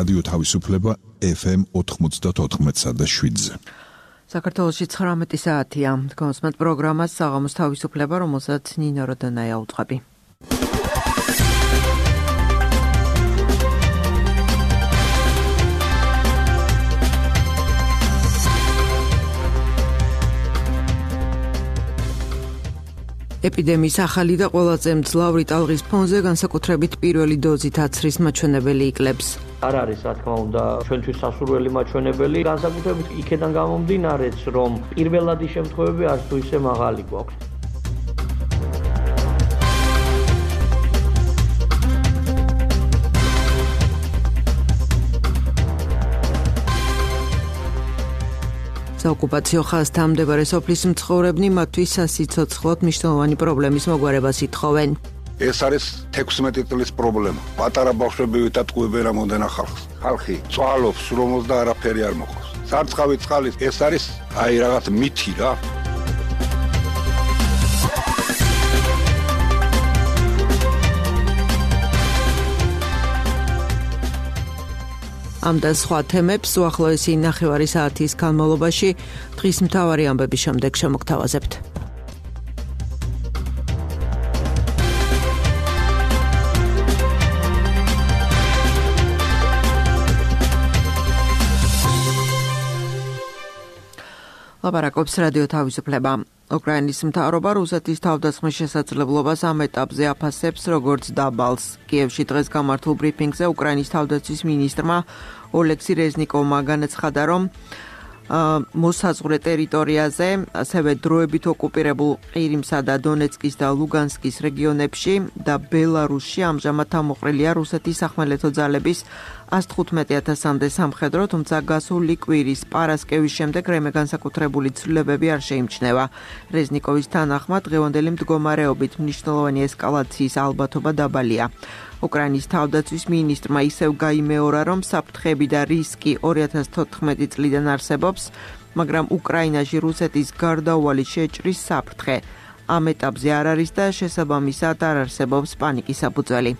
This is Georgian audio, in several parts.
რადიო თავისუფლება FM 94.7-ზე. საქართველოში 19 საათია. გონსმენთ პროგრამას საღამოს თავისუფლება, რომელსაც ნინო როდონაია უწყები. ეპიდემიის ახალი და ყველაზე მძლავრი ტალღის ფონზე განსაკუთრებით პირველი დოზით აცრის მაჩვენებელი იკლებს. არ არის, რა თქმა უნდა, ჩვენთვის სასურველი მაჩვენებელი, განსაკუთრებით იქედან გამომდინარეც, რომ პირველადი შემთხვევები არც თუ ისე მაღალი გვაქვს. საოკუპაციო ხაზთან მდებარე სოფლის მცხოვრებნი მათთვის სასიცოცხლოდ მნიშვნელოვანი პრობლემის მოგვარებას ითხოვენ. ეს არის 16 წლის პრობლემა. პატარა ბავშვები ვითატყუებენ რამოდენა ხალხს. ხალხი წვალობს, რომოს და არაფერი არ მოყავს. სარწყავი წყალი ეს არის აი რაღაც მითი რა. ამ და სხვა თემებს უახლოესი ნახევარი საათის განმავლობაში დღის მთავარი ამბების შემდეგ შემოგთავაზებთ. ლაპარაკობს რადიო თავისუფლება. უკრაინის მთავრობა რუსეთის თავდასხმის შესაძლებლობას ამ ეტაპზე აფასებს როგორც დაბალს. კიევში დღეს გამართულ ბრიფინგზე უკრაინის თავდაცვის მინისტრმა ოლექსი რეზნიკოვმა განაცხადა, რომ მოსაზღვრე ტერიტორიაზე, ასევე დროებით ოკუპირებულ ყირიმსა და დონეცკის და ლუგანსკის რეგიონებში და ბელარუსში ამჟამად ამოყრილია რუსეთის სახმელეთო ძალების 115,000-მდე სამხედრო, თუმცა გასული კვირის პარასკევის შემდეგ რამე განსაკუთრებული ცვლილებები არ შეიმჩნევა. რეზნიკოვის თანახმად დღევანდელი მდგომარეობით მნიშვნელოვანი ესკალაციის ალბათობა დაბალია. უკრაინის თავდაცვის მინისტრმა ისევ გაიმეორა, რომ საფრთხები და რისკი 2014 წლიდან არსებობს, მაგრამ უკრაინაში რუსეთის გარდაუვალი შეჭრის საფრთხე ამ ეტაპზე არ არის და შესაბამისად არ არსებობს პანიკის საფუძველი.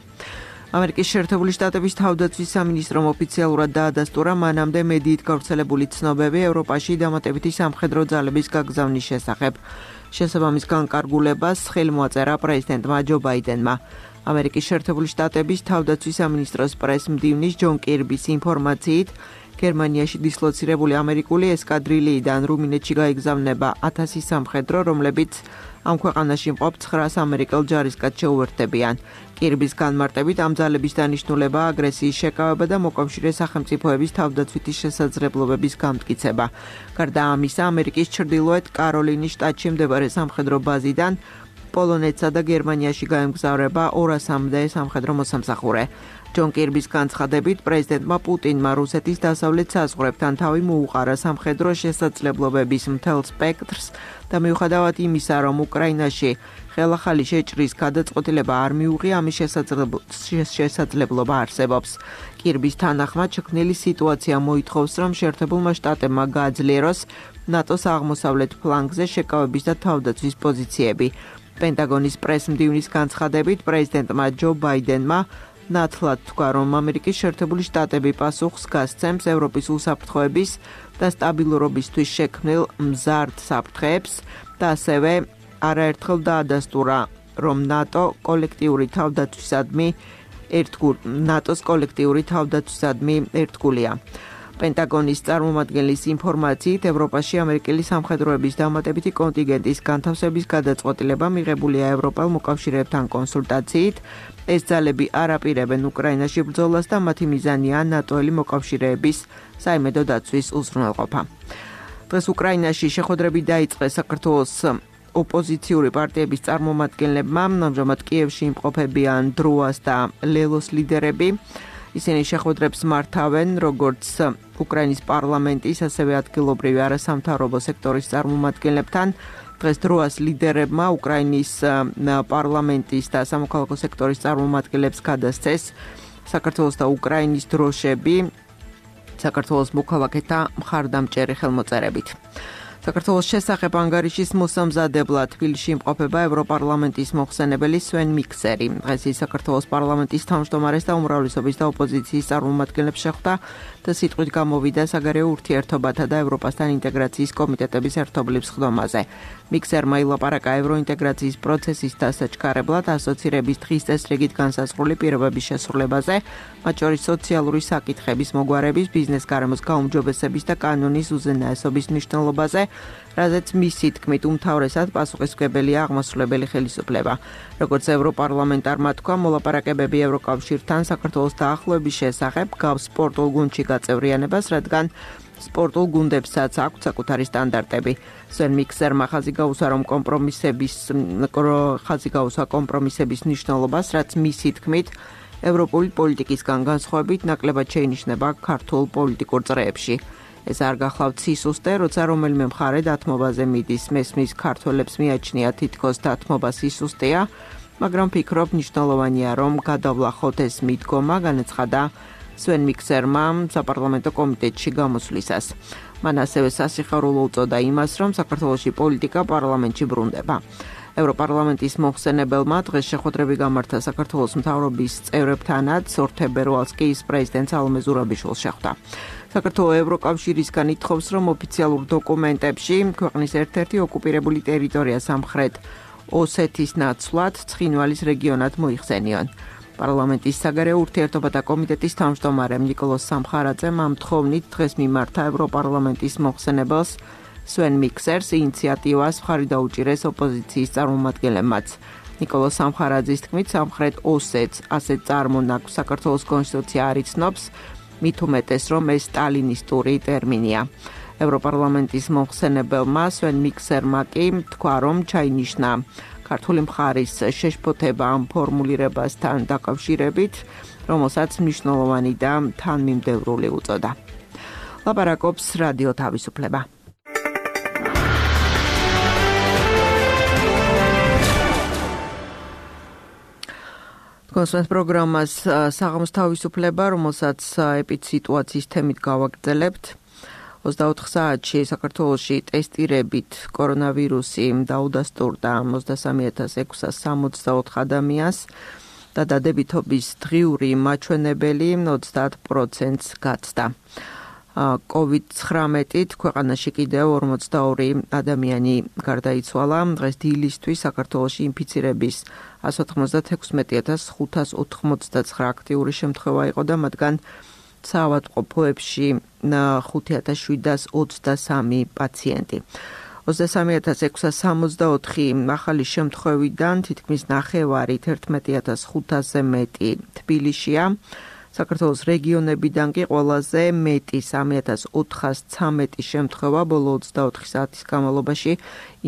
ამერიკის შეერთებული შტატების თავდაცვის სამინისტრომ ოფიციალურად დაადასტურა მანამდე მედიით გავრცელებული ცნობები ევროპაში დამატებითი სამხედრო ძალების გაგზავნის შესახებ. შესაბამის განკარგულებას ხელმოაწერა პრეზიდენტმა ჯო ბაიდენმა. ამერიკის შეერთებული შტატების თავდაცვის სამინისტროს პრეს-მდივნის ჯონ კირბის ინფორმაციით, გერმანიაში დისლოცირებული ამერიკული ესკადრილიიდან რუმინეთში გაიგზავნება 1000 სამხედრო, რომლებიც ამ ქვეყანაში მყოფ 900 ამერიკელ ჯარისკაცს შეუერთდებიან. კირბის განმარტებით ამ ძალების დანიშნულება აგრესიის შეკავება და მოკავშირე სახელმწიფოების თავდაცვითი შესაძლებლობების გამტკიცება. გარდა ამისა, ამერიკის ჩრდილოეთ კაროლინის შტატში მდებარე სამხედრო ბაზიდან პოლონეთსა და გერმანიაში გაემგზავრება 200-მდე სამხედრო მოსამსახურე. ჯონ კირბის განცხადებით, პრეზიდენტმა პუტინმა რუსეთის დასავლეთ საზღვრებთან თავი მოუყარა სამხედრო შესაძლებლობების მთელ სპექტრს და მიუხედავად იმისა, რომ უკრაინაში ხელახალი შეჭრის გადაწყვეტილება არ მიუღია, ამის შესაძლებლობა არსებობს. კირბის თანახმად შექმნილი სიტუაცია მოითხოვს, რომ შეერთებულმა შტატებმა გააძლიეროს ნატოს აღმოსავლეთ ფლანგზე შეკავების და თავდაცვის პოზიციები. პენტაგონის პრეს-მდივნის განცხადებით, პრეზიდენტმა ჯო ბაიდენმა ნათლად თქვა, რომ ამერიკის შეერთებული შტატები პასუხს გასცემს ევროპის უსაფრთხოების და სტაბილურობისთვის შექმნილ მზარდ საფრთხეებს და ასევე არაერთხელ დაადასტურა, რომ ნატოს კოლექტიური თავდაცვისადმი ერთგულია. პენტაგონის წარმომადგენლის ინფორმაციით, ევროპაში ამერიკელი სამხედროების დამატებითი კონტინგენტის განთავსების გადაწყვეტილება მიღებულია ევროპელ მოკავშირეებთან კონსულტაციით. ეს ძალები არ აპირებენ უკრაინაში ბრძოლას და მათი მიზანია ნატოელი მოკავშირეების საიმედო დაცვის უზრუნველყოფა. დღეს უკრაინაში შეხვედრები დაიწყეს საქართველოს ოპოზიციური პარტიების წარმომადგენლებმა, ამჟამად კიევში იმყოფებიან დროას და ლელოს ლიდერები. ისინი შეხვედრებს მართავენ როგორც უკრაინის პარლამენტის, ასევე ადგილობრივი არასამთავრობო სექტორის წარმომადგენლებთან. დღეს დროას ლიდერებმა უკრაინის პარლამენტის და სამოქალაქო სექტორის წარმომადგენლებს გადასცეს საქართველოს და უკრაინის დროშები საქართველოს მოქალაქეთა მხარდამჭერი ხელმოწერებით. საქართველოს შესახებ ანგარიშის მოსამზადებლად თბილისში იმყოფება ევროპარლამენტის მოხსენებელი სვენ მიქსერი. დღეს ის საქართველოს პარლამენტის თავმჯდომარეს და უმრავლესობის და ოპოზიციის წარმომადგენლებს შეხვდა და სიტყვით გამოვიდა საგარეო ურთიერთობათა და ევროპასთან ინტეგრაციის კომიტეტების ერთობლივ სხდომაზე. მიქსერმა ილაპარაკა ევროინტეგრაციის პროცესის დასაჩქარებლად ასოცირების დღის წესრიგით განსაზღვრული პირობების შესრულებაზე, მათ შორის სოციალური საკითხების მოგვარების, ბიზნეს გარემოს გაუმჯობესების და კანონის უზენაესობის მნიშვნელობაზე, რაზეც მისი თქმით უმთავრესად პასუხისმგებელია აღმასრულებელი ხელისუფლება. როგორც ევროპარლამენტარმა თქვა, მოლაპარაკებები ევროკავშირთან საქართველოს დაახლოების შესახებ გავს სპორტულ გუნდში გაწევრიანებას, რადგან სპორტულ გუნდებსაც აქვთ საკუთარი სტანდარტები. სვენ მიქსერმა ხაზი გაუსვა კომპრომისების მნიშვნელობას, რაც მისი თქმით ევროპული პოლიტიკისგან განსხვავებით ნაკლებად შეინიშნება ქართულ პოლიტიკურ წრეებში. ეს არ გახლავთ სისუსტე, როცა რომელიმე მხარე დათმობაზე მიდის, მესმის ქართველებს მიაჩნია თითქოს დათმობა სისუსტეა, მაგრამ ფიქრობ მნიშვნელოვანია, რომ გადავლახოთ ეს მიდგომა, განაცხადა სვენ მიქსერმა საპარლამენტო კომიტეტში გამოსვლისას. მან ასევე სასიხარულო უწოდა იმას, რომ საქართველოში პოლიტიკა პარლამენტში ბრუნდება. ევროპარლამენტის მოხსენებელმა დღეს შეხვედრები გამართა საქართველოს მთავრობის წევრებთანაც, 2 თებერვალს კი ის პრეზიდენტ სალომე ზურაბიშვილს შეხვდა. საქართველოს ევროკავშირისგან ითხოვს, რომ ოფიციალურ დოკუმენტებში ქვეყნის ერთ-ერთი ოკუპირებული ტერიტორია სამხრეთ ოსეთის ნაცვლად ცხინვალის რეგიონად მოიხსენიონ. პარლამენტის საგარეო ურთიერთობათა კომიტეტის თავმჯდომარემ ნიკოლოზ სამხარაძემ ამ თხოვნით დღეს მიმართა ევროპარლამენტის მოხსენებელს სვენ მიქსერს ინიციატივას მხარი დაუჭირეს ოპოზიციის წარმომადგენლებმაც. ნიკოლოზ სამხარაძის თქმით, სამხრეთ ოსეთს ასეთ წარმონაქმს საქართველოს კონსტიტუცია არ იცნობს, მით უმეტეს, რომ ეს სტალინისტური ტერმინია. ევროპარლამენტის მოხსენებელმა სვენ მიქსერმა კი თქვა, რომ ჩაინიშნა ქართული მხარის შეშფოთება ამ ფორმულირებასთან დაკავშირებით, რომელსაც მნიშვნელოვანი და თანმიმდევრული უწოდა. ლაპარაკობს რადიო თავისუფლება. კონსულტანტ პროგრამას საღამოს თავისუფლება, რომელსაც ეპიდსიტუაციის თემით გავაგრძელებთ. 24 საათში საქართველოში ტესტირებით კორონავირუსი დაუდასტურდა 23,664 ადამიანს და დადებითობის დღიური მაჩვენებელი 30%-ს გაცდა. COVID-19-ით ქვეყანაში კიდევ 42 ადამიანი გარდაიცვალა. დღეს დილისთვის საქართველოში ინფიცირების 196,589 აქტიური შემთხვევა იყო და მათგან საავადმყოფოებში 5,723 პაციენტი. 23,664 ახალი შემთხვევიდან თითქმის ნახევარი 11,500-ზე მეტი თბილისშია. საქართველოს რეგიონებიდან კი ყველაზე მეტი 3,413 შემთხვევა ბოლო 24 საათის განმავლობაში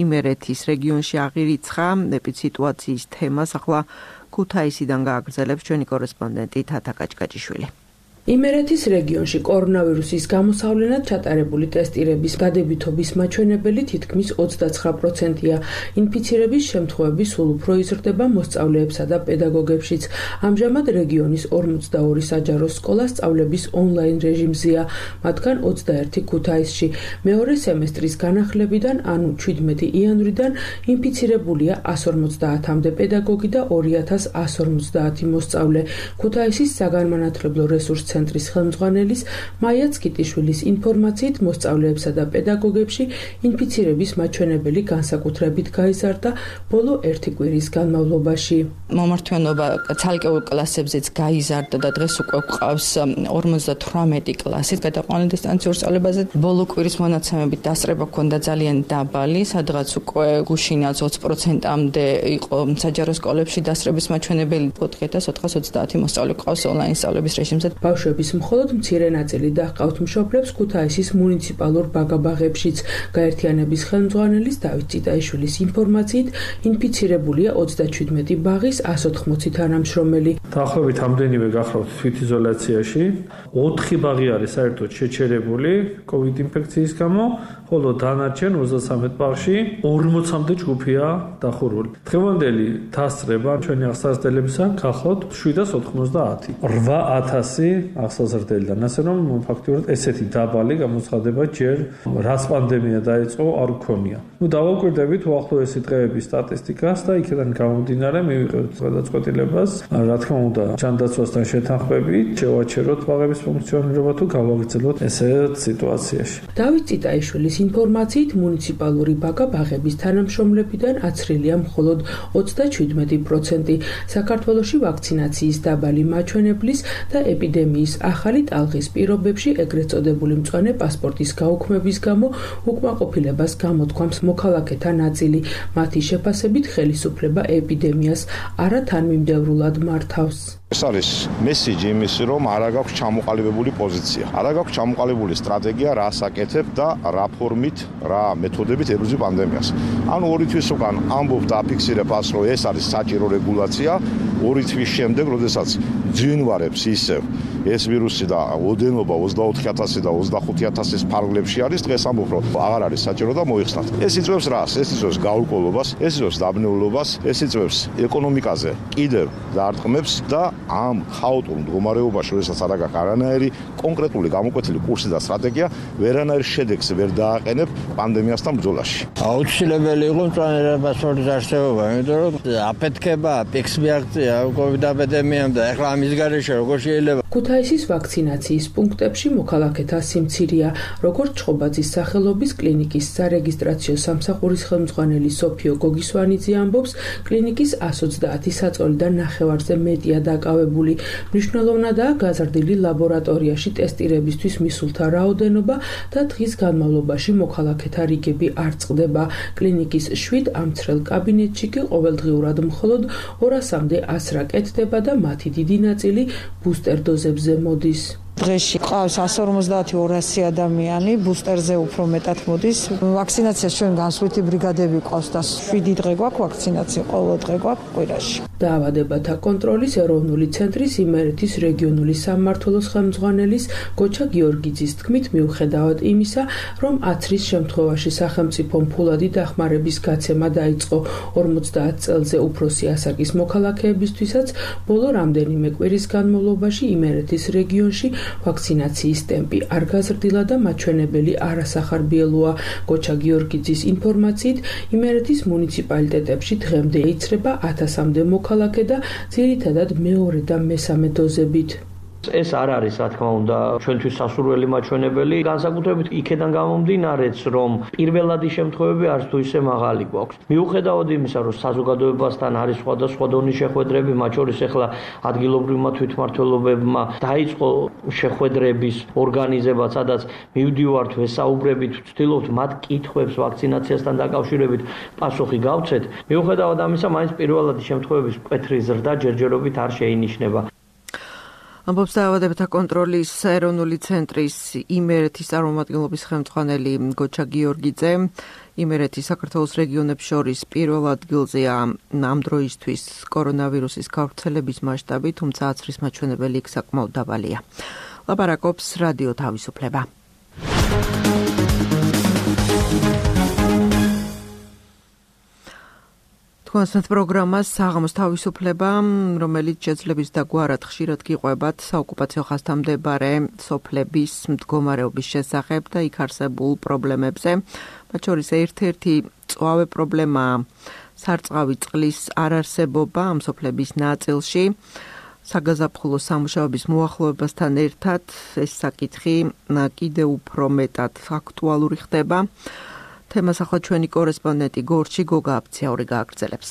იმერეთის რეგიონში აღირიცხა. ეპიდსიტუაციის თემას ახლა ქუთაისიდან გააგრძელებს ჩვენი კორესპონდენტი თათა კაჭკაჭიშვილი. იმერეთის რეგიონში კორონავირუსის გამოსავლენად ჩატარებული ტესტირების დადებითობის მაჩვენებელი თითქმის 29%-ია. ინფიცირების შემთხვევები სულ უფრო იზრდება მოსწავლეებსა და პედაგოგებშიც. ამჟამად რეგიონის 42 საჯარო სკოლა სწავლების ონლაინ რეჟიმზეა, მათგან 21 ქუთაისში. მეორე სემესტრის განახლებიდან, ანუ 17 იანვრიდან ინფიცირებულია 150-მდე პედაგოგი და 2150 მოსწავლე. ქუთაისის საგანმანათლებლო რესურსს ცენტრის ხელმძღვანელის მაია ცკიტიშვილის ინფორმაციით მოსწავლეებსა და პედაგოგებში ინფიცირების მაჩვენებელი განსაკუთრებით გაიზარდა ბოლო 1 კვირის განმავლობაში. მომართვენობა ცალკეულ კლასებზეც გაიზარდა და დღეს უკვე გვყავს 58 კლასი გადაყვანილ დისტანციურ სწავლებაზე. ბოლო კვირის მონაცემებით დასწრება ჰქონდა ძალიან დაბალი, სადღაც უკვე გუშინა 20%-მდე იყო საჯარო სკოლებში დასწრების მაჩვენებელი. 4,430 მოსწავლე გვყავს ონლაინ სწავლების რეჟიმზე. ბავშვების მხოლოდ მცირე ნაწილი დაჰყავთ მშობლებს ქუთაისის მუნიციპალურ ბაგაბაღებშიც. გაერთიანების ხელმძღვანელის დავით წიტაიშვილის ინფორმაციით ინფიცირებულია 37 ბაღის 180 თანამშრომელი. დაახლოებით ამდენივე გახლავთ თვითიზოლაციაში. 4 ბაღი არის საერთოდ შეჩერებული COVID ინფექციის გამო, ხოლო დანარჩენ 33 ბაღში 40-მდე ჯგუფია დახურული. დღევანდელი დასწრება ჩვენი აღსაზრდელებისა გახლავთ 790. 8000 აღსაზრდელიდან, ასე რომ ფაქტობრივად ესეთი დაბალი გამოცხადება ჯერ რაც პანდემია დაიწყო არ გქონია. დავაკვირდებით უახლოესი დღეების სტატისტიკას და იქიდან გამომდინარე მივიღებთ გადაწყვეტილებას, რა თქმა უნდა, ჯანდაცვასთან შეთანხმებით შევაჩეროთ ბაღების ფუნქციონირება თუ გავაგრძელოთ ესეთ სიტუაციაში. დავით წიტაიშვილის ინფორმაციით მუნიციპალური ბაღების თანამშრომლებიდან აცრილია მხოლოდ 37%. საქართველოში ვაქცინაციის დაბალი მაჩვენებლის და ეპიდემიის ახალი ტალღის პირობებში ეგრეთ წოდებული მწვანე პასპორტის გაუქმების გამო უკმაყოფილებას გამოთქვამს მოქალაქეთა ნაწილი. მათი შეფასებით ხელისუფლება ეპიდემიას არათანმიმდევრულად მართავს. ეს არის მესიჯი იმისი, რომ არ აქვს ჩამოყალიბებული პოზიცია. არ აქვს ჩამოყალიბებული სტრატეგია, რა საკეთებ და რა ფორმით, რა მეთოდებით ებრძვი პანდემიას. ანუ 2 თვის უკან ამბობ და აფიქსირებ ას, რომ ეს არის საჭირო რეგულაცია, 2 თვის შემდეგ, როდესაც ძინვარებს ისევ ეს ვირუსი და ოდენობა 24000 და 25000-ის ფარგლებში არის, დღეს ამბობ, რომ აღარ არის საჭირო და მოიხსნათ. ეს იწვევს რას? ეს იწვევს გაურკვევლობას, ეს იწვევს დაბნეულობას, ეს იწვევს ეკონომიკაზე კიდევ დარტყმებს და ამ ხაოტურ მდგომარეობაში, როდესაც არ აქვს არანაირი კონკრეტული გამოკვეთილი კურსი და სტრატეგია, ვერანაირ შედეგს ვერ დააყენებ პანდემიასთან ბრძოლაში. აუცილებელი იყო მწვანე პასპორტის არსებობა, იმიტომ რომ აფეთქება, პიქსი აქცია COVID ეპიდემიამ და ეხლა ამის გარეშე როგორ შეიძლება? ქუთაისის ვაქცინაციის პუნქტებში მოქალაქეთა სიმცირეა, როგორც ჩხობაძის სახელობის კლინიკის სარეგისტრაციო სამსახურის ხელმძღვანელი სოფიო გოგისვანიძე ამბობს, კლინიკის 130 საწოლიდან ნახევარზე მეტია დაკავებული. მნიშვნელოვნადაა გაზრდილი ლაბორატორიაში ტესტირებისთვის მისულთა რაოდენობა და დღის განმავლობაში მოქალაქეთა რიგები არ წყდება. კლინიკის 7 ამცრელ კაბინეტში კი ყოველდღიურად მხოლოდ 200-მდე ასრა კეთდება და მათი დიდი ნაწილი ბუსტერ დოზებზე მოდის. დღეში ყავს 150-200 ადამიანი, ბუსტერზე უფრო მეტად მოდის. ვაქცინაციას ჩვენ განსხვავებული ბრიგადები ყავს და 7 დღე გვაქვს ვაქცინაცია, ყოველ დღე გვაქვს კვირაში. დაავადებათა კონტროლის ეროვნული ცენტრის იმერეთის რეგიონული სამმართველოს ხელმძღვანელის გოჩა გიორგიძის თქმით, მიუხედავად იმისა, რომ აცრის შემთხვევაში სახელმწიფომ ფულადი დახმარების გაცემა დაიწყო 50 წელზე უფროსი ასაკის მოქალაქეებისთვისაც, ბოლო რამდენიმე კვირის განმავლობაში იმერეთის რეგიონში ვაქცინაციის ტემპი არ გაზრდილა და მაჩვენებელი არასახარბიელოა. გოჩა გიორგიძის ინფორმაციით, იმერეთის მუნიციპალიტეტებში დღემდე იცრება 1000-მდე მოქალაქე და ძირითადად მეორე და მესამე დოზებით. ეს არ არის, რა თქმა უნდა, ჩვენთვის სასურველი მაჩვენებელი, განსაკუთრებით იქედან გამომდინარეც, რომ პირველადი შემთხვევები არც თუ ისე მაღალი გვაქვს. მიუხედავად იმისა, რომ საზოგადოებასთან არის სხვადასხვა დონის შეხვედრები, მათ შორის ახლა ადგილობრივმა თვითმმართველობებმა დაიწყო შეხვედრების ორგანიზება, სადაც მივდივართ, ვესაუბრებით, ვცდილობთ მათ კითხვებს ვაქცინაციასთან დაკავშირებით პასუხი გავცეთ. მიუხედავად ამისა, მაინც პირველადი შემთხვევების მკვეთრი ზრდა ჯერჯერობით არ შეინიშნება. ამბობს დაავადებათა კონტროლის ეროვნული ცენტრის იმერეთის წარმომადგენლობის ხელმძღვანელი გოჩა გიორგიძე. იმერეთის საქართველოს რეგიონებს შორის პირველ ადგილზეა ამ დროისთვის კორონავირუსის გავრცელების მასშტაბი, თუმცა აცრის მაჩვენებელი იქ საკმაოდ დაბალია. ლაპარაკობს რადიო თავისუფლება. კონსერტ პროგრამას საღამოს თავისუფლება, რომელიც შეძლებს და გვარად ხშირად გიყვებათ საოკუპაციო ხაზთან მდებარე სოფლების მდგომარეობის შესახებ და იქ არსებულ პრობლემებზე. მათ შორის ერთ-ერთი მწვავე პრობლემაა სარწყავი წყლის არარსებობა ამ სოფლების ნაწილში. საგაზაფხულო სამუშაოების მოახლოებასთან ერთად ეს საკითხი კიდევ უფრო მეტად აქტუალური ხდება. თემას ახლა ჩვენი კორესპონდენტი გორჩი გოგა აფციაური გააგრძელებს.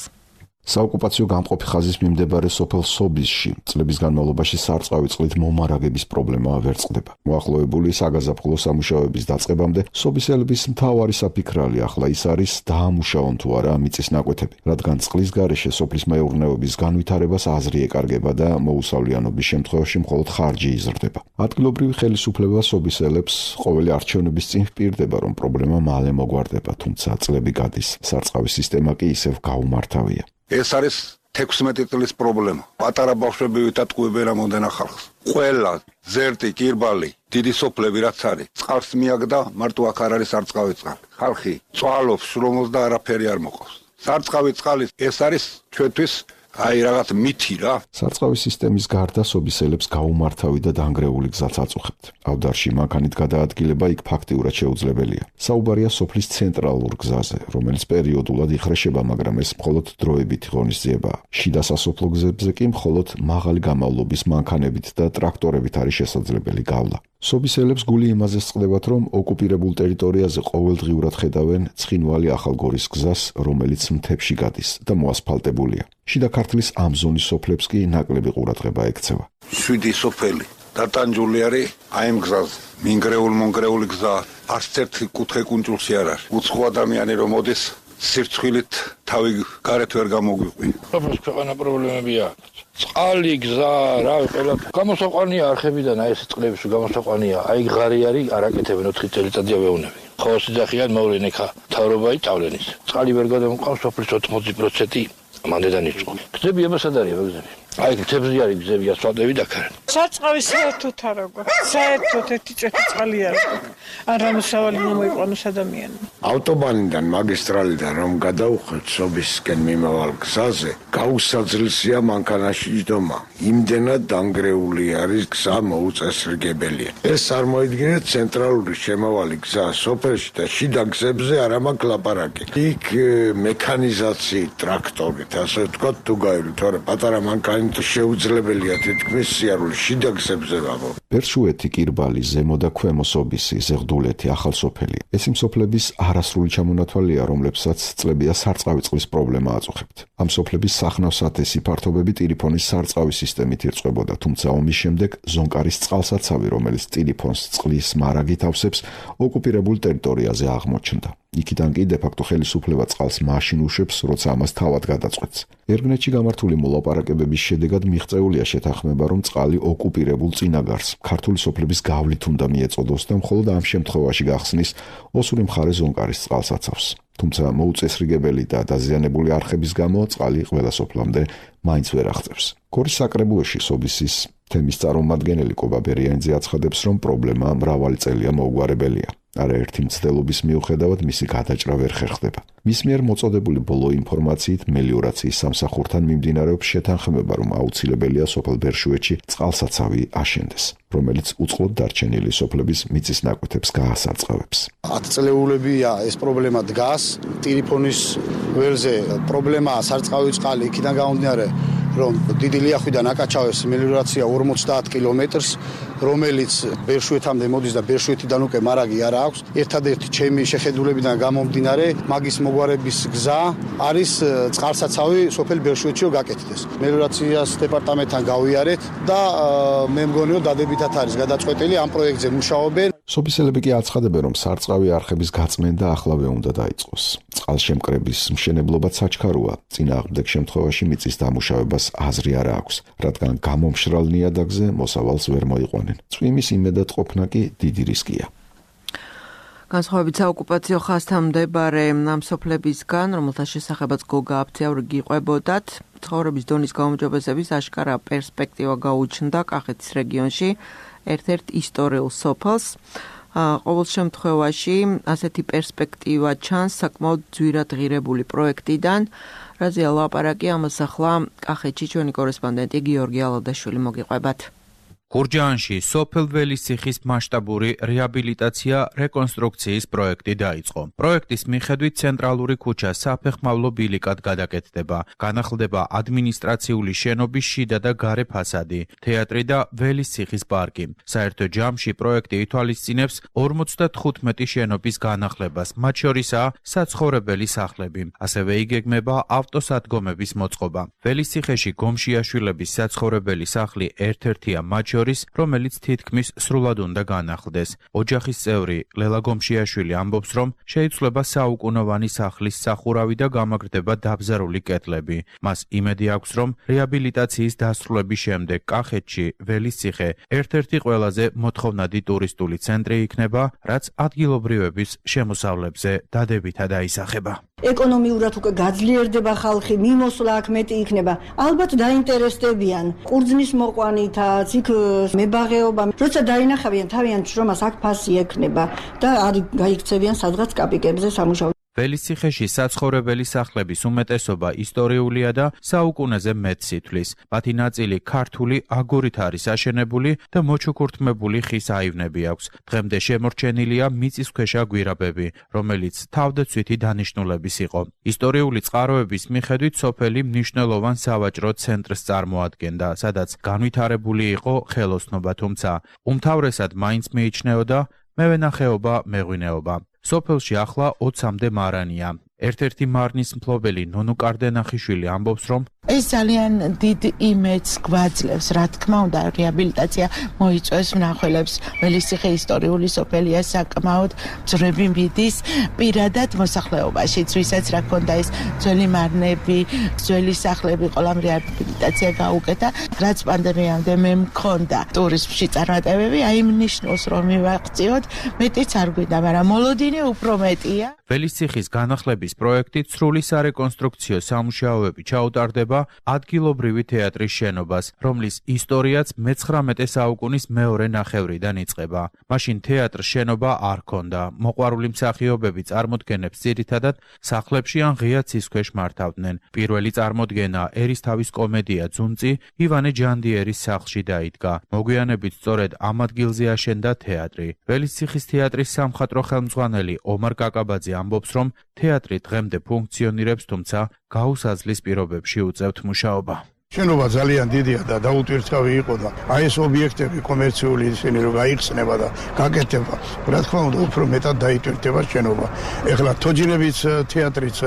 საოკუპაციო გამყოფი ხაზის მიმდებარე სოფელ სობისში წლების განმავლობაში სარწყავი წყლით მომარაგების პრობლემა ვერ წყდება. მოახლოებული საგაზაფხულო სამუშაოების დაწყებამდე სობისელების მთავარი საფიქრალი ახლა ის არის დაამუშავონ თუ არა მიწის ნაკვეთები, რადგან წყლის გარეშე სოფლის მეურნეობის განვითარებას აზრი ეკარგება და მოუსავლიანობის შემთხვევაში მხოლოდ ხარჯი იზრდება. ადგილობრივი ხელისუფლება სობისელებს ყოველი არჩევნების წინ ჰპირდება, რომ პრობლემა მალე მოგვარდება, თუმცა წლები გადის, სარწყავის სისტემა კი ისევ გაუმართავია. ეს არის 16 წლის პრობლემა. პატარა ბავშვები ვითატყუებენ რამოდენა ხალხს. ყველა ზერტი, კირბალი, დიდი სოფლები რაც არის, წყალს მიაგდა, მარტო აქ არ არის არწყავი წყალი. ხალხი წვალობს, შრომობს და არაფერი არ მოყავს. სარწყავი წყალი ეს არის ჩვენთვის აი რაღაც მითი რა. სარწყავი სისტემის გარდა სობისელებს გაუმართავი და დანგრეული გზაც აწუხებთ. ავდარში მანქანით გადაადგილება იქ ფაქტიურად შეუძლებელია. საუბარია სოფლის ცენტრალურ გზაზე, რომელიც პერიოდულად იხრეშება, მაგრამ ეს მხოლოდ დროებითი ღონისძიებაა. შიდა სასოფლო გზებზე კი მხოლოდ მაღალი გამავლობის მანქანებით და ტრაქტორებით არის შესაძლებელი გავლა. სობისელებს გული იმაზე სწყდებათ, რომ ოკუპირებულ ტერიტორიაზე ყოველდღიურად ხედავენ ცხინვალი ახალგორის გზას, რომელიც მთებში გადის და მოასფალტებულია. შიდა ქართლის ამ ზონის სოფლებს კი ნაკლები ყურადღება ექცევა. 7 სოფელი დატანჯული არის აი ამ გზაზე. მინგრეულ-მონგრეული გზა არც ერთი კუთხე კუნჭულში არ არის. უცხო ადამიანი რომ მოდის სირცხვილით თავი გარეთ ვერ გამოგვიყვინა. სოფლის ქვეყანა პრობლემებია. წყალი, გზა, რავი, ყველა გამოსაყვანია არხებიდან აი ეს წყლების გამოსაყვანია. აი ღარი არის, არაკეთებენ 4 წელიწადია ვეუნები. ხოსი ძახიან მოვლენ ეხა თავრობა იწავლენის. წყალი ვერ გადამოყავს სოფლის 80% მანდედან იწყო. გზები ებასად არის გზები. აი მთებზე არის გზები, ასფალტები დაქარენ. სარწყავი საერთოდ არ აქვს. საერთოდ ერთი ჭეთი წყალი არ აქვს. არ ამოსავალი მოიყვანოს ადამიანმა. ავტობანიდან მაგისტრალიდან რომ გადაუხევთ სობისკენ მიმავალ გზაზე, გაუსაძლისია მანქანაში ჯდომა. იმდენად დანგრეული არის გზა მოუწესრიგებელია. ეს წარმოიდგინეთ ცენტრალური შემავალი გზა სოფელში და შიდა გზებზე არ მაქვს ლაპარაკი. იქ მექანიზაციით, ტრაქტორით, ასე ვთქვათ, თუ გაივლი, თორე პატარა მანქანა შეუძლებელია თითქმის სიარული შიდა გზებზე ვაღო. ბერშუეთი, კირბალი, ზემო და ქვემო სობისი, ზეღდულეთი, ახალსოფელი. ეს იმ სოფლების არასრული ჩამონათვალია, რომლებსაც წლებია სარწყავი წყლის პრობლემა აწუხებთ. ამ სოფლების სახნავ-სათესი ფართობები ტილიფონის სარწყავი სისტემით ირწყვებოდა, თუმცა ომის შემდეგ ზონკარის წყალსაცავი, რომელიც ტილიფონს წყლის მარაგით ავსებს, ოკუპირებულ ტერიტორიაზე აღმოჩნდა. იქიდან კი დე-ფაქტო ხელისუფლება წყალს მაშინ უშვებს, როცა ამას თავად გადაწყვეტს. ერგნეთში გამართული მოლაპარაკებების შედეგად მიღწეულია შეთანხმება, რომ წყალი ოკუპირებულ წინაგარს ქართული სოფლების გავლით უნდა მიეწოდოს და მხოლოდ ამ შემთხვევაში გახსნის ოსური მხარე ზონკარის წყალსაცავს. თუმცა მოუწესრიგებელი და დაზიანებული არხების გამო წყალი ყველა სოფლამდე მაინც ვერ აღწევს. გორის საკრებულოში სობისის თემის წარმომადგენელი კობა ბერიანიძე აცხადებს, რომ პრობლემა მრავალი წელია მოუგვარებელია. არაერთი მცდელობის მიუხედავად მისი გადაჭრა ვერ ხერხდება. მის მიერ მოწოდებული ბოლო ინფორმაციით მელიორაციის სამსახურთან მიმდინარეობს შეთანხმება, რომ აუცილებელია სოფელ ბერშუეთში წყალსაცავი აშენდეს, რომელიც უწყლოდ დარჩენილი სოფლების მიწის ნაკვეთებს გაასარწყავებს. 10 წლეულებია ეს პრობლემა დგას. ტელეფონის ველზე პრობლემაა სარწყავი წყალი, იქიდან გამომდინარე, რომ დიდი ლიახვიდან აკაჩავებს მელიორაცია 50 კილომეტრს, რომელიც ბერშუეთამდე მოდის და ბერშუეთიდან უკვე მარაგი არ აქვს. ერთადერთი ჩემი შეხედულებიდან გამომდინარე, მაგის მოგვარების გზა არის წყალსაცავი სოფელ ბერშუეთში რომ გაკეთდეს. მელიორაციას დეპარტამენტთან გავიარეთ და მე მგონი რომ დადებითად არის გადაწყვეტილი ამ პროექტზე მუშაობენ. სოფისელები კი აცხადებენ, რომ სარწყავი არხების გაწმენდა ახლავე უნდა დაიწყოს. წყალშემკრების მშენებლობა საჩქაროა, წინააღმდეგ შემთხვევაში მიწის დამუშავებას აზრი არ აქვს, რადგან გამომშრალ ნიადაგზე მოსავალს ვერ მოიყვანენ. წვიმის იმედად ყოფნა კი დიდი რისკია. განსხვავებით საოკუპაციო ხაზთან მდებარე ამ სოფლებისგან, რომელთა შესახებაც გოგა აფთიაური გიყვებოდათ, ცხოვრების დონის გაუმჯობესების აშკარა პერსპექტივა გაუჩნდა კახეთის რეგიონში ერთ-ერთ ისტორიულ სოფელს. ყოველ შემთხვევაში ასეთი პერსპექტივა ჩანს საკმაოდ ძვირად ღირებული პროექტიდან, რაზეა ლაპარაკი ამას ახლა კახეთში ჩვენი კორესპონდენტი გიორგი ალადაშვილი მოგიყვებათ. გურჯაანში სოფელ ველისციხის მასშტაბური რეაბილიტაცია რეკონსტრუქციის პროექტი დაიწყო. პროექტის მიხედვით ცენტრალური ქუჩა საფეხმავლო ბილიკად გადაკეთდება. განახლდება ადმინისტრაციული შენობის შიდა და გარე ფასადი, თეატრი და ველისციხის პარკი. საერთო ჯამში პროექტი ითვალისწინებს 55 შენობის განახლებას, მათ შორისაა საცხოვრებელი სახლები. ასევე იგეგმება ავტოსადგომების მოწყობა. ველისციხეში გომშიაშვილების საცხოვრებელი სახლი ერთ-ერთია მათ შორის, რომელიც თითქმის სრულად უნდა განახლდეს. ოჯახის წევრი ლელა გომშიაშვილი ამბობს, რომ შეიცვლება საუკუნოვანი სახლის სახურავი და გამაგრდება დაბზარული კედლები. მას იმედი აქვს, რომ რეაბილიტაციის დასრულების შემდეგ კახეთში ველისციხე ერთ-ერთი ყველაზე მოთხოვნადი ტურისტული ცენტრი იქნება, რაც ადგილობრივების შემოსავლებზე დადებითად აისახება. ეკონომიურად უკვე გაძლიერდება ხალხი, მიმოსვლა აქ მეტი იქნება. ალბათ დაინტერესდებიან ყურძნის მოყვანითაც, იქ მებაღეობა. როცა დაინახავიან თავიანთ შრომას, აქ ფასი ექნება და არ გაიქცევიან სადღაც კაპიკებზე სამუშაო. ველისციხეში საცხოვრებელი სახლების უმეტესობა ისტორიულია და საუკუნეზე მეტს ითვლის. მათი ნაწილი ქართული აგურით არის აშენებული და მოჩუქურთმებული ხის აივნები აქვს. დღემდე შემორჩენილია მიწისქვეშა გვირაბები, რომელიც თავდაცვითი დანიშნულების იყო. ისტორიული წყაროების მიხედვით სოფელი მნიშვნელოვან სავაჭრო ცენტრს წარმოადგენდა, სადაც განვითარებული იყო ხელოსნობა, თუმცა უმთავრესად მაინც მიიჩნეოდა მევენახეობა, მეღვინეობა. სოფელში ახლა 20-მდე მარანია. ერთ-ერთი მარნის მფლობელი ნონუ კარდენახიშვილი ამბობს, რომ ეს ძალიან დიდ იმედს გვაძლევს, რა თქმა უნდა, რეაბილიტაცია მოიწვევს მნახველებს. ველისციხე ისტორიული სოფელია, საკმაოდ ძვრები მიდის პირადად მოსახლეობაშიც, ვისაც რა ქონდა ეს ძველი მარნები, ძველი სახლები, ყველამ რეაბილიტაცია გაუკეთა. რაც პანდემიამდე მე მქონდა ტურიზმში წარმატებები, აი ნიშნავს რომ მივაღწიოთ, მეტიც არ გვინდა, მაგრამ მოლოდინი უფრო მეტია. ველისციხის განახლების პროექტით სრული სარეკონსტრუქციო სამუშაოები ჩაუტარდება ადგილობრივი თეატრის შენობას, რომლის ისტორიაც მე-19 საუკუნის მეორე ნახევრიდან იწყება. მაშინ თეატრს შენობა არ ჰქონდა. მოყვარული მსახიობები წარმოდგენებს ძირითადად სახლებში ან ღია ცის ქვეშ მართავდნენ. პირველი წარმოდგენა ერისთავის კომედია „ძუნწი“ ივანე ჯანდიერის სახლში დაიდგა. მოგვიანებით სწორედ ამ ადგილზე აშენდა თეატრი. ველისციხის თეატრის სამხატვრო ხელმძღვანელი ომარ კაკაბაძე ამბობს, რომ თეატრი დღემდე ფუნქციონირებს, თუმცა გაუსაძლის პირობებში უწევთ მუშაობა. შენობა ძალიან დიდია და დაუტვირთავი იყო და აი ეს ობიექტები კომერციული ისინი რომ გაიხსნება და გაკეთება, რა თქმა უნდა, უფრო მეტად დაიტვირთება შენობა. ეხლა თოჯინების თეატრიც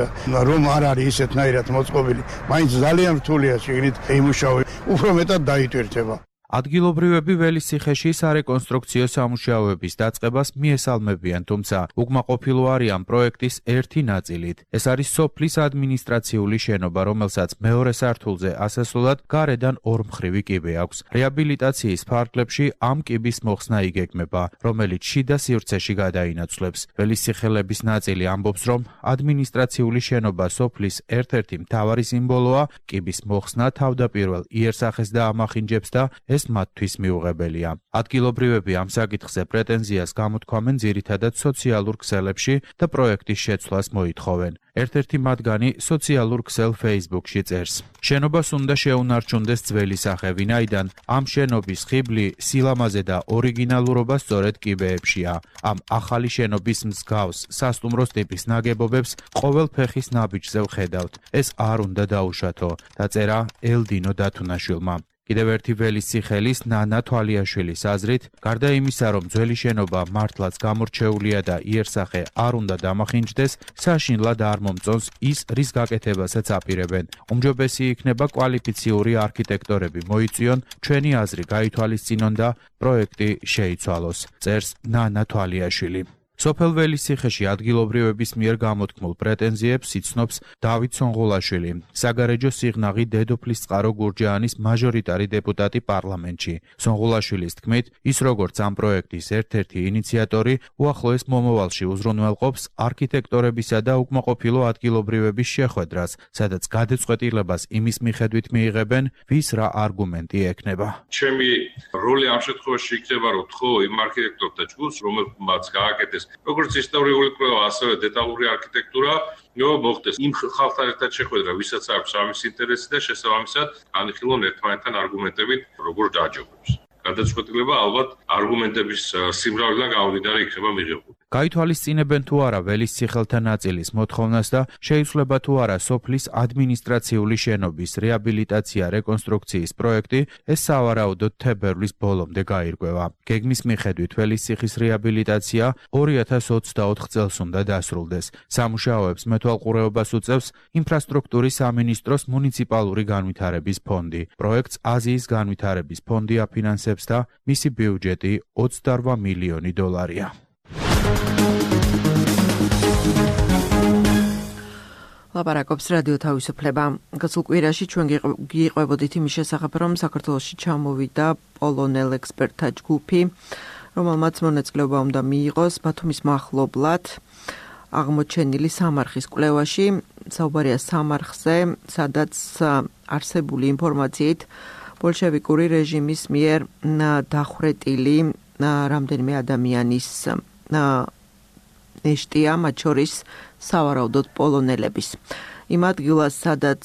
რომ არ არის ისეთნაირად მოწყობილი, მაინც ძალიან რთულია შეგნით იმუშავე, უფრო მეტად დაიტვირთება. ადგილობრივები ველისციხეში სარეკონსტრუქციო სამუშაოების დაწყებას მიესალმებიან, თუმცა უკმაყოფილო არიან პროექტის ერთი ნაწილით. ეს არის სოფლის ადმინისტრაციული შენობა, რომელსაც მეორე სართულზე ასასვლელად გარედან ორმხრივი კიბე აქვს. რეაბილიტაციის ფარგლებში ამ კიბის მოხსნა იგეგმება, რომელიც შიდა სივრცეში გადაინაცვლებს. ველისციხელების ნაწილი ამბობს, რომ ადმინისტრაციული შენობა სოფლის ერთ-ერთი მთავარი სიმბოლოა, კიბის მოხსნა თავდაპირველ იერსახეს დაამახინჯებს და ეს მათთვის მიუღებელია. ადგილობრივები ამ საკითხზე პრეტენზიას გამოთქვამენ ძირითადად სოციალურ ქსელებში და პროექტის შეცვლას მოითხოვენ. ერთ-ერთი მათგანი სოციალურ ქსელ Facebook-ში წერს: შენობას უნდა შეუნარჩუნდეს ძველი სახე, ვინაიდან ამ შენობის ხიბლი, სილამაზე და ორიგინალურობა სწორედ კიბეებშია. ამ ახალი შენობის მსგავს სასტუმროს ტიპის ნაგებობებს ყოველ ფეხის ნაბიჯზე ვხედავთ. ეს არ უნდა დაუშვათო, დაწერა ელდინო დათუნაშვილმა. კიდევ ერთი ველისციხელის ნანა თვალიაშვილის აზრით, გარდა იმისა, რომ ძველი შენობა მართლაც გამორჩეულია და იერსახე არ უნდა დამახინჯდეს, საშინლად არ მომწონს ის, რის გაკეთებასაც აპირებენ. უმჯობესი იქნება კვალიფიციური არქიტექტორები მოიწვიონ, ჩვენი აზრი გაითვალისწინონ და პროექტი შეიცვალოს, წერს ნანა თვალიაშვილი. სოფელ ველისციხეში ადგილობრივების მიერ გამოთქმულ პრეტენზიებს იცნობს დავით სონღოლაშვილი, საგარეჯო სიღნაღი დედოფლის წყარო გურჯაანის მაჟორიტარი დეპუტატი პარლამენტში. სონღოლაშვილის თქმით, ის როგორც ამ პროექტის ერთ-ერთი ინიციატორი, უახლოეს მომავალში უზრუნველყოფს არქიტექტორებისა და უკმაყოფილო ადგილობრივების შეხვედრას, სადაც გადაწყვეტილებას იმის მიხედვით მიიღებენ, ვის რა არგუმენტი ექნება. ჩემი როლი ამ შემთხვევაში იქნება, რომ თქო იმ არქიტექტორთა ჯგუფს, რომელმაც გააკეთეს როგორც ისტორიული კვლევა, ასევე დეტალური არქიტექტურა, მოხდეს იმ ხალხთან ერთად შეხვედრა, ვისაც აქვს ამის ინტერესი და შესაბამისად განიხილონ ერთმანეთთან არგუმენტებით, როგორ დააჯობებს. გადაწყვეტილება ალბათ არგუმენტების სიმრავლიდან გამომდინარე იქნება მიღებული. გაითვალისწინებენ თუ არა ველისციხელთა ნაწილის მოთხოვნას და შეიცვლება თუ არა სოფლის ადმინისტრაციული შენობის რეაბილიტაცია რეკონსტრუქციის პროექტი, ეს სავარაუდოდ თებერვლის ბოლომდე გაირკვევა. გეგმის მიხედვით ველისციხის რეაბილიტაცია 2024 წელს უნდა დასრულდეს. სამუშაოებს მეთვალყურეობას უწევს ინფრასტრუქტურის სამინისტროს მუნიციპალური განვითარების ფონდი. პროექტს აზიის განვითარების ფონდი აფინანსებს და მისი ბიუჯეტი 28 მილიონი დოლარია. ლაპარაკობს რადიო თავისუფლება. გასულ კვირაში ჩვენ გიყვებოდით იმის შესახებ, რომ საქართველოში ჩამოვიდა პოლონელ ექსპერტთა ჯგუფი, რომელმაც მონაწილეობა უნდა მიიღოს ბათუმის მახლობლად აღმოჩენილი სამარხის კვლევაში. საუბარია სამარხზე, სადაც არსებული ინფორმაციით ბოლშევიკური რეჟიმის მიერ დახვრეტილი რამდენიმე ადამიანის ნეშტია, მათ შორის სავარაუდოდ პოლონელების. იმ ადგილას, სადაც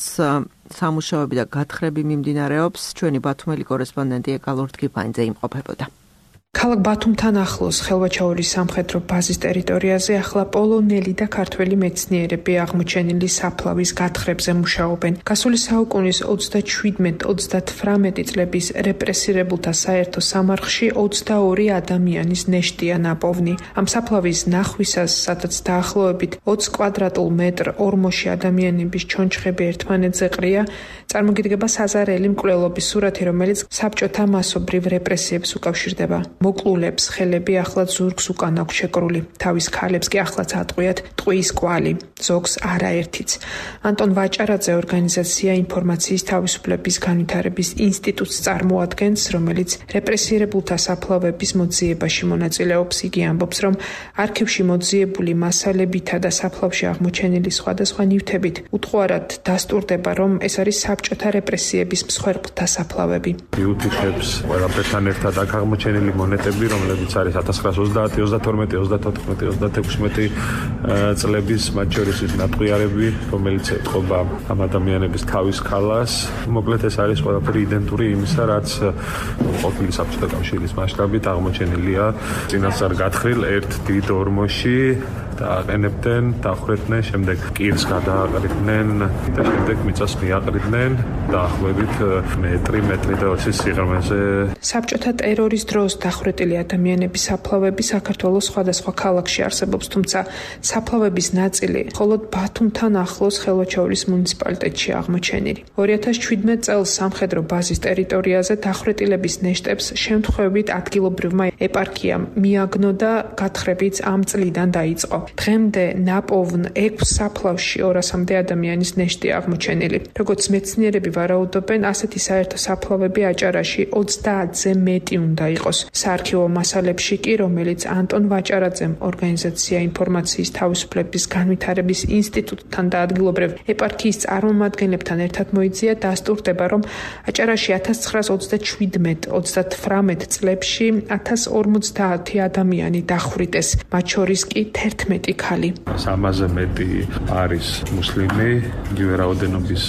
სამუშაოები და გათხრები მიმდინარეობს, ჩვენი ბათუმელი კორესპონდენტი ეკალორთ კიფანიძე იმყოფებოდა. ქალაქ ბათუმთან ახლოს ხელვაჩაურის სამხედრო ბაზის ტერიტორიაზე ახლა პოლონელი და ქართველი მეცნიერები აღმოჩენილი საფლავის გათხრებზე მუშაობენ. გასული საუკუნის 37-38 წლების რეპრესირებულთა საერთო სამარხში 22 ადამიანის ნეშტია ნაპოვნი. ამ საფლავის ნახვისას, სადაც დაახლოებით 20 კვადრატულ მეტრ ორმოში ადამიანების ჩონჩხები ერთმანეთზე ყრია, წარმოგიდგება საზარელი მკვლელობის სურათი, რომელიც საბჭოთა მასობრივ რეპრესიებს უკავშირდება. მოკლულებს ხელები ახლა ზურგს უკან აქვს შეკრული, თავის ქალებს კი ახლაც ატყვიათ ტყვის კვალი, ზოგს არაერთიც. ანტონ ვაჭარაძე ორგანიზაცია ინფორმაციის თავისუფლების განვითარების ინსტიტუტს წარმოადგენს, რომელიც რეპრესირებულთა საფლავების მოძიებაში მონაწილეობს. იგი ამბობს, რომ არქივში მოძიებული მასალებითა და საფლავში აღმოჩენილი სხვადასხვა ნივთებით უთხოვარად დასტურდება, რომ ეს არის საბჭოთა რეპრესიების მსხვერპლთა საფლავები. იუთითებს ყველაფერთან ერთად აქ აღმოჩენილი მონეტები, რომლებიც არის 1930, 32, 34, 36 წლების, მათ შორის ის ნატყვიარები, რომელიც ეთყობა ამ ადამიანების თავის ქალას. მოკლედ ეს არის ყველაფერი იდენტური იმისა, რაც ყოფილი საბჭოთა კავშირის მასშტაბით აღმოჩენილია წინასწარ გათხრილ ერთ დიდ ორმოში. დააყენებდნენ, დახვრეტდნენ, შემდეგ კირს გადააყრიდნენ და შემდეგ მიწას მიაყრიდნენ დაახლოებით მეტრი და 20 სიღრმეზე. საბჭოთა ტერორის დროს დახვრეტილი ადამიანების საფლავები საქართველოს სხვადასხვა ქალაქში არსებობს, თუმცა საფლავების ნაწილი მხოლოდ ბათუმთან ახლოს ხელვაჩაურის მუნიციპალიტეტში აღმოჩენილი. 2017 წელს სამხედრო ბაზის ტერიტორიაზე დახვრეტილების ნეშტებს შემთხვევით ადგილობრივმა ეპარქიამ მიაგნო და გათხრებიც ამ წლიდან დაიწყო. დღემდე ნაპოვნ 6 საფლავში 200-მდე ადამიანის ნეშტია აღმოჩენილი. როგორც მეცნიერები ვარაუდობენ, ასეთი საერთო საფლავები აჭარაში 30-ზე მეტი უნდა იყოს. საარქივო მასალებში კი, რომელიც ანტონ ვაჭარაძემ ორგანიზაცია ინფორმაციის თავისუფლების განვითარების ინსტიტუტთან და ადგილობრივ ეპარქიის წარმომადგენლებთან ერთად მოიძია, დასტურდება, რომ აჭარაში 1937-38 წლებში 1050 ადამიანი დახვრიტეს, მათ შორის კი 11 ქალი. 300-ზე მეტი არის მუსლიმი, იგივე რაოდენობის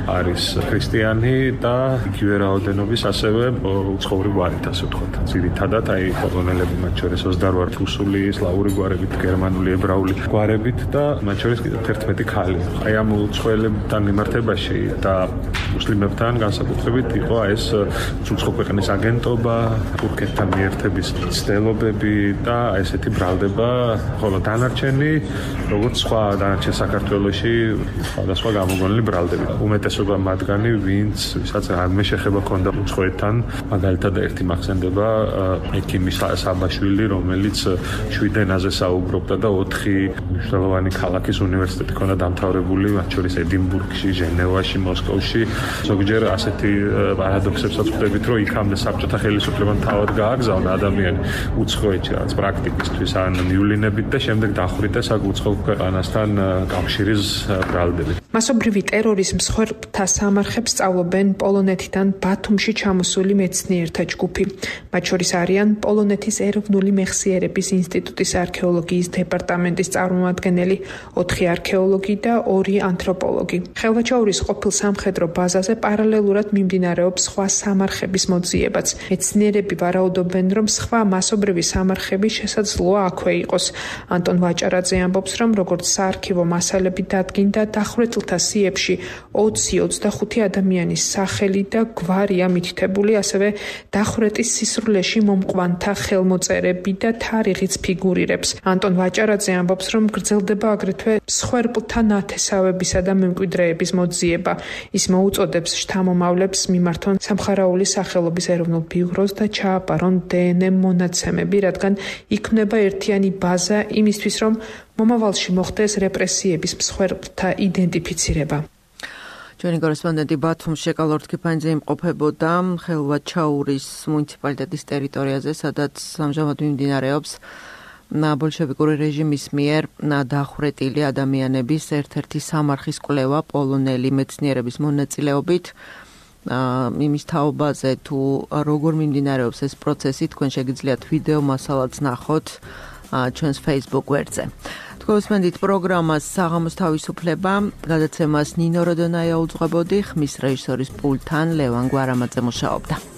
არის ქრისტიანი და იგივე რაოდენობის ასევე უცხოური გვარით, ასე ვთქვათ. ძირითადად აი პოლონელები, მათ შორის 28 რუსული, სლავური გვარებით, გერმანული, ებრაული გვარებით და მათ შორის კიდევ 11 ქალი. აი ამ უცხოელებთან მიმართებაში და მუსლიმებთან განსაკუთრებით იყო ეს უცხო ქვეყნის აგენტობა, თურქეთთან მიერთების ცდილობები და ესეთი ბრალდება, ხოლო დანარჩენი, როგორც სხვა დანარჩენ საქართველოში, სხვადასხვა გამოგონილი ბრალდები. უმეტესობა მათგანი, ვისაც რამე შეხება ქონდა უცხოეთთან, მაგალითად ერთი მახსენდება ექიმი საბაშვილი, რომელიც 7 ენაზე საუბრობდა და 4 მნიშვნელოვანი ქალაქის უნივერსიტეტი ჰქონდა დამთავრებული, მათ შორის ედინბურგში, ჟენევაში, მოსკოვში. ზოგჯერ ასეთი პარადოქსებსაც ვხვდებით, რომ იქამდე საბჭოთა ხელისუფლებამ თავად გააგზავნა ადამიანი უცხოეთში, რაც პრაქტიკისთვის ან მიულინებით და შემდეგ დახვრიტეს აქ უცხო ქვეყანასთან კავშირის ბრალდებით. მასობრივი ტერორის მსხვერპლთა სამარხებს სწავლობენ პოლონეთიდან ბათუმში ჩამოსული მეცნიერთა ჯგუფი. მათ შორის არიან პოლონეთის ეროვნული მეხსიერების ინსტიტუტის არქეოლოგიის დეპარტამენტის წარმომადგენელი, 4 არქეოლოგი და 2 ანთროპოლოგი. ხელვაჩაურის ყოფილ სამხედრო ბაზაზე პარალელურად მიმდინარეობს სხვა სამარხების მოძიებაც. მეცნიერები ვარაუდობენ, რომ სხვა მასობრივი სამარხები შესაძლოა აქვე იყოს. ანტონ ვაჭარაძე ამბობს, რომ როგორც საარქივო მასალები დადგინდა, დახვრეტილთა სიებში 20-25 ადამიანის სახელი და გვარია მითითებული, ასევე დახვრეტის სისრულეში მომყვანთა ხელმოწერები და თარიღიც ფიგურირებს. ანტონ ვაჭარაძე ამბობს, რომ გრძელდება აგრეთვე მსხვერპლთა ნათესავებისა და მემკვიდრეების მოძიება. ის მოუწოდებს შთამომავლებს მიმართონ სამხარაული სახელობის ეროვნულ ბიუროს და ჩააბარონ დნმ მონაცემები, რადგან იქმნება ერთიანი ბაზა იმისთვის, რომ მომავალში მოხდეს რეპრესიების მსხვერპლთა იდენტიფიცირება. ჩვენი კორესპონდენტი ბათუმში ეკალორთ კიფანიძე იმყოფებოდა ხელვაჩაურის მუნიციპალიტეტის ტერიტორიაზე, სადაც ამჟამად მიმდინარეობს ბოლშევიკური რეჟიმის მიერ დახვრეტილი ადამიანების ერთ-ერთი სამარხის კვლევა პოლონელი მეცნიერების მონაწილეობით იმის თაობაზე თუ როგორ მიმდინარეობს ეს პროცესი, თქვენ შეგიძლიათ ვიდეო მასალაც ნახოთ ჩვენს Facebook გვერდზე. თქვენსმენდით პროგრამას საღამოს თავისუფლება, გადაცემას ნინო როდონაია უძღვებოდი, ხმის რეჟისორის პულტთან ლევან გვარამაძე მუშაობდა.